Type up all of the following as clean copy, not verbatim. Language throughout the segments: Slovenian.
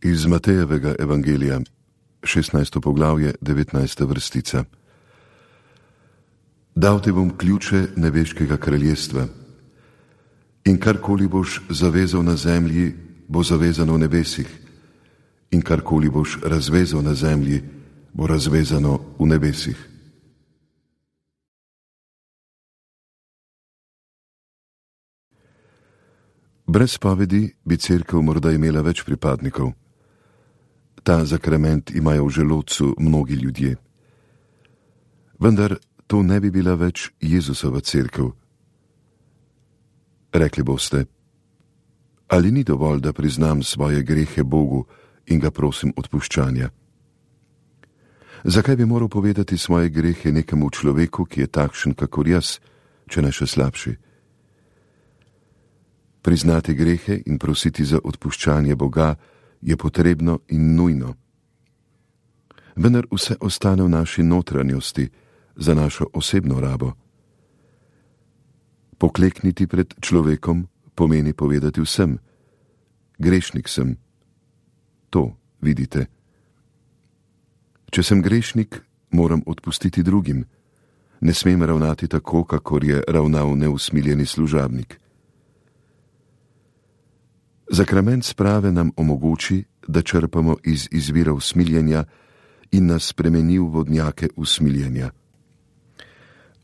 Iz Matejevega evangelija, 16. poglavje, 19. vrstica. Dal ti bom ključe nebeškega kraljestva in karkoli boš zavezal na zemlji, bo zavezano v nebesih, in karkoli boš razvezal na zemlji, bo razvezano v nebesih. Brez spovedi bi cerkev morda imela več pripadnikov. Ta zakrament imajo v želodcu mnogi ljudje. Vendar to ne bi bila več Jezusova cerkev. Rekli boste, ali ni dovolj, da priznam svoje grehe Bogu in ga prosim odpuščanja? Zakaj bi moral povedati svoje grehe nekemu človeku, ki je takšen kakor jaz, če ne še slabši? Priznati grehe in prositi za odpuščanje Boga je potrebno in nujno. Vendar vse ostane v naši notranjosti, za našo osebno rabo. Poklekniti pred človekom pomeni povedati vsem, grešnik sem. To vidite. Če sem grešnik, moram odpustiti drugim. Ne smem ravnati tako, kakor je ravnal neusmiljeni služabnik. Zakrament sprave nam omogoči, da črpamo iz izvirov smiljenja in nas spremeni v vodnjake usmiljenja.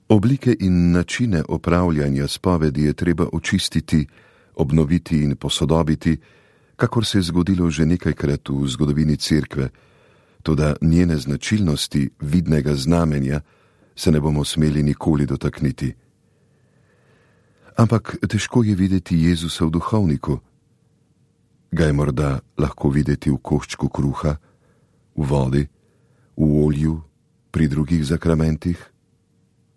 Oblike in načine opravljanja spovedi je treba očistiti, obnoviti in posodobiti, kakor se je zgodilo že nekajkrat v zgodovini cerkve, toda njene značilnosti vidnega znamenja se ne bomo smeli nikoli dotakniti. Ampak težko je videti Jezusa v duhovniku. Ga je morda lahko videti v koščku kruha, v vodi, v olju, pri drugih zakramentih?